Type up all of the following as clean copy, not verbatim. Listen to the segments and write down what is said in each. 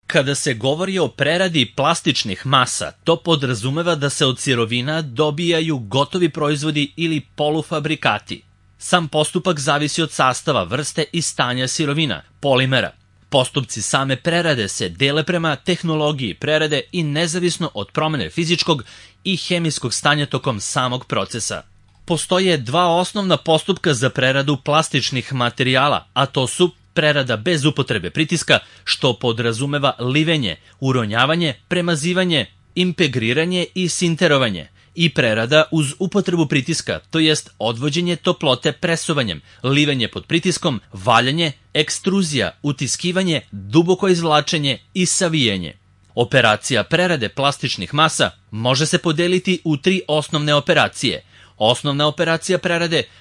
Kada se govori o preradi plastičnih masa, to podrazumeva da se od sirovina dobijaju gotovi proizvodi ili polufabrikati. Sam postupak zavisi od sastava, vrste i stanja sirovina, polimera. Postupci same prerade se dele prema tehnologiji prerade i nezavisno od promene fizičkog i hemijskog stanja tokom samog procesa. Postoje dva osnovna postupka za preradu plastičnih materijala, a to su prerada bez upotrebe pritiska, što podrazumeva livenje, uronjavanje, premazivanje, impregriranje i sinterovanje, i prerada uz upotrebu pritiska, to jest odvođenje toplote presovanjem, livenje pod pritiskom, valjanje, ekstruzija, utiskivanje, duboko izvlačenje i savijanje. Operacija prerade plastičnih masa može se podeliti u tri osnovne operacije. Osnovna operacija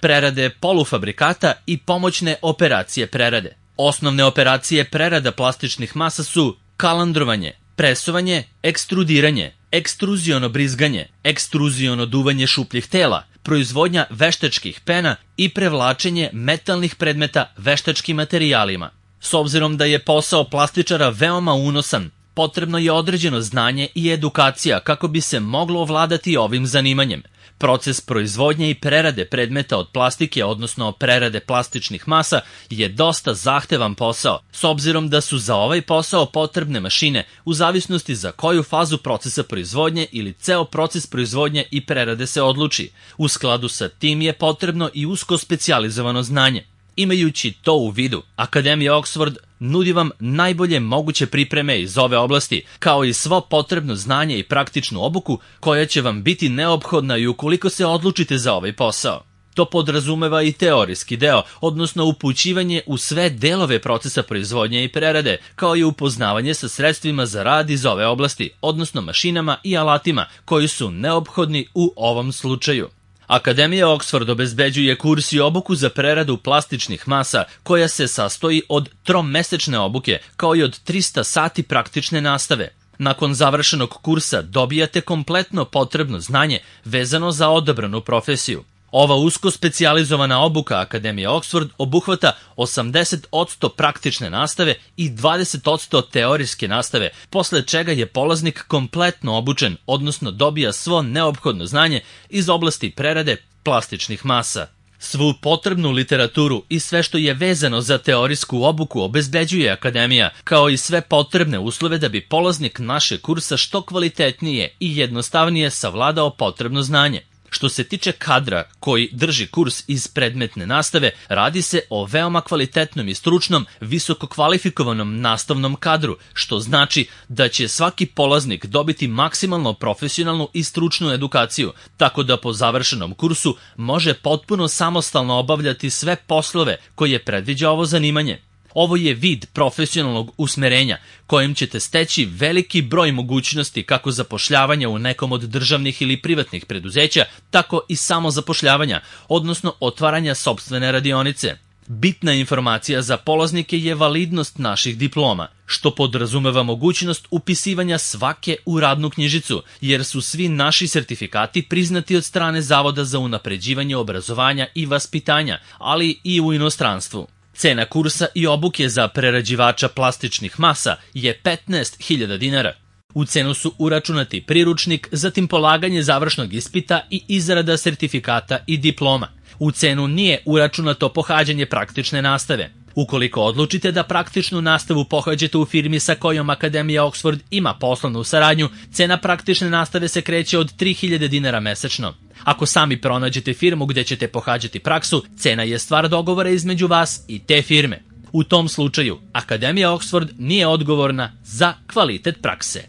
prerade polufabrikata i pomoćne operacije prerade. Osnovne operacije prerada plastičnih masa su kalandrovanje, presovanje, ekstrudiranje, ekstruziono brizganje, ekstruziono duvanje šupljih tela, proizvodnja veštačkih pena i prevlačenje metalnih predmeta veštačkim materijalima. S obzirom da je posao plastičara veoma unosan, potrebno je određeno znanje i edukacija kako bi se moglo ovladati ovim zanimanjem. Proces proizvodnje i prerade predmeta od plastike, odnosno prerade plastičnih masa, je dosta zahtevan posao, s obzirom da su za ovaj posao potrebne mašine u zavisnosti za koju fazu procesa proizvodnje ili ceo proces proizvodnje i prerade se odluči. U skladu sa tim je potrebno i usko specijalizovano znanje. Imajući to u vidu, Akademija Oxford nudi vam najbolje moguće pripreme iz ove oblasti, kao i svo potrebno znanje i praktičnu obuku koja će vam biti neophodna i ukoliko se odlučite za ovaj posao. To podrazumeva i teorijski deo, odnosno upućivanje u sve delove procesa proizvodnje i prerade, kao i upoznavanje sa sredstvima za rad iz ove oblasti, odnosno mašinama i alatima koji su neophodni u ovom slučaju. Akademija Oxford obezbeđuje kurs i obuku za preradu plastičnih masa koja se sastoji od tromesečne obuke kao i od 300 sati praktične nastave. Nakon završenog kursa dobijate kompletno potrebno znanje vezano za odabranu profesiju. Ova usko specijalizovana obuka Akademije Oxford obuhvata 80% praktične nastave i 20% teorijske nastave, posle čega je polaznik kompletno obučen, odnosno dobija svo neophodno znanje iz oblasti prerade plastičnih masa. Svu potrebnu literaturu i sve što je vezano za teorijsku obuku obezbeđuje Akademija, kao i sve potrebne uslove da bi polaznik našeg kursa što kvalitetnije i jednostavnije savladao potrebno znanje. Što se tiče kadra koji drži kurs iz predmetne nastave, radi se o veoma kvalitetnom i stručnom, visoko kvalifikovanom nastavnom kadru, što znači da će svaki polaznik dobiti maksimalno profesionalnu i stručnu edukaciju, tako da po završenom kursu može potpuno samostalno obavljati sve poslove koje predviđa ovo zanimanje. Ovo je vid profesionalnog usmerenja kojim ćete steći veliki broj mogućnosti kako zapošljavanja u nekom od državnih ili privatnih preduzeća, tako i samozapošljavanja, odnosno otvaranja sopstvene radionice. Bitna informacija za polaznike je validnost naših diploma, što podrazumeva mogućnost upisivanja svake u radnu knjižicu, jer su svi naši sertifikati priznati od strane Zavoda za unapređivanje obrazovanja i vaspitanja, ali i u inostranstvu. Cena kursa i obuke za prerađivača plastičnih masa je 15.000 dinara. U cenu su uračunati priručnik, zatim polaganje završnog ispita i izrada sertifikata i diploma. U cenu nije uračunato pohađanje praktične nastave. Ukoliko odlučite da praktičnu nastavu pohađate u firmi sa kojom Akademija Oxford ima poslovnu saradnju, cena praktične nastave se kreće od 3.000 dinara mesečno. Ako sami pronađete firmu gde ćete pohađati praksu, cena je stvar dogovora između vas i te firme. U tom slučaju, Akademija Oxford nije odgovorna za kvalitet prakse.